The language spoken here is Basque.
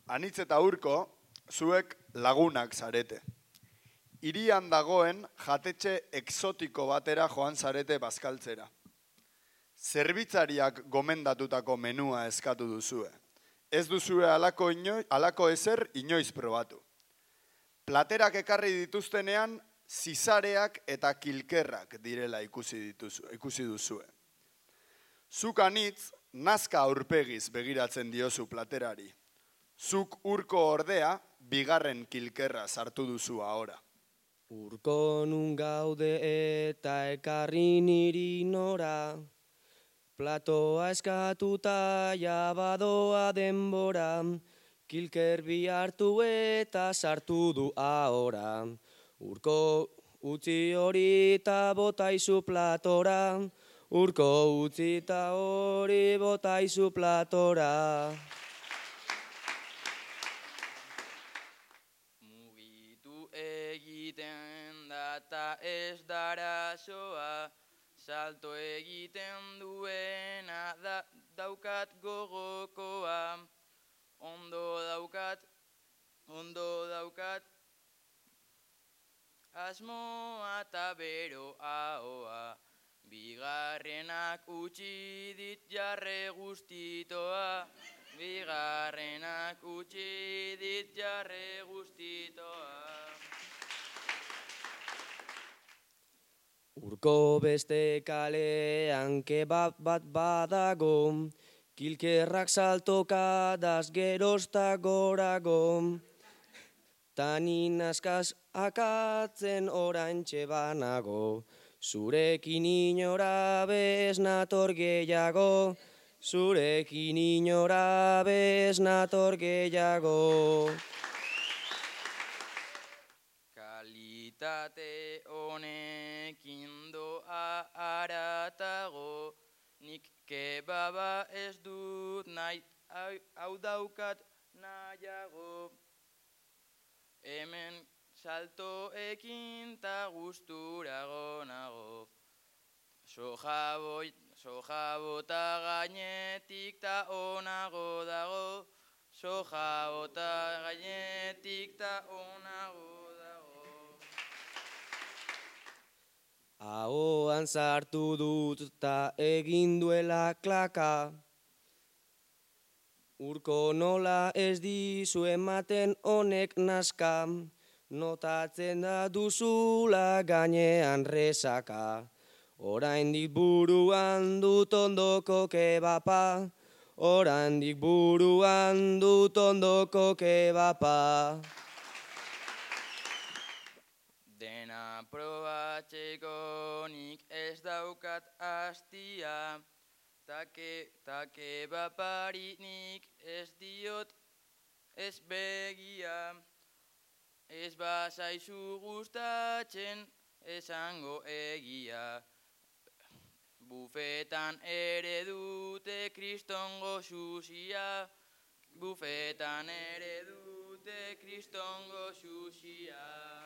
Anitz eta Urko, zuek lagunak zarete. Hirian dagoen jatetxe exotiko batera joan zarete bazkaltzera. Zerbitzariak gomendatutako menua eskatu duzue. Ez duzue halako ezer inoiz probatu. Platerak ekarri dituztenean, zizareak eta kilkerrak direla ikusi duzue. Zuk Anitz, nazka aurpegiz begiratzen diozu platerari. Zuk Urko ordea, bigarren kilkerra sartu duzu ahora. Urko nun gaude eta ekarri niri nora, platoa eskatuta jabadoa denbora, kilker bi hartu eta sartu du ahora. Urko utzi hori eta botaizu platora, Urko utzi eta hori botaizu platora. Mugitu egiten data ez dara soa, salto egiten duena daukat gogokoa. Ondo daukat, asmoa eta bero ahoa. Bigarrenak utzi dit jarre guztitoa. Bigarrenak utzi dit jarre guztitoa. Urko beste kalean kebab bat badago, kilkerrak saltoka daz gerozta gorago. Tanin askaz akatzen oraintxe banago, zurekin inora bez nator gehiago, zurekin inora bez nator gehiago. Kalitate honekin doa aratago, nik kebaba ez dut nahi, hau daukat nahiago. Hemen saltoekin ta gusturago nago. Soja bota gainetik ta onago dago. Soja bota gainetik ta onago dago. Ahoan sartu dut ta egin duela klaka. Urko nola ez dizu ematen honek naska, notatzen da duzula gainean resaka. Oraindik buruan dut ondoko kebapa, oraindik buruan dut ondoko kebapa. Dena probatzeko nik ez daukat hastia, ta kebapari nik ez diot ez begia. Ez bazaizu gustatzen esango egia. Bufetan ere dute kristongo sushia, bufetan ere dute kristongo sushia.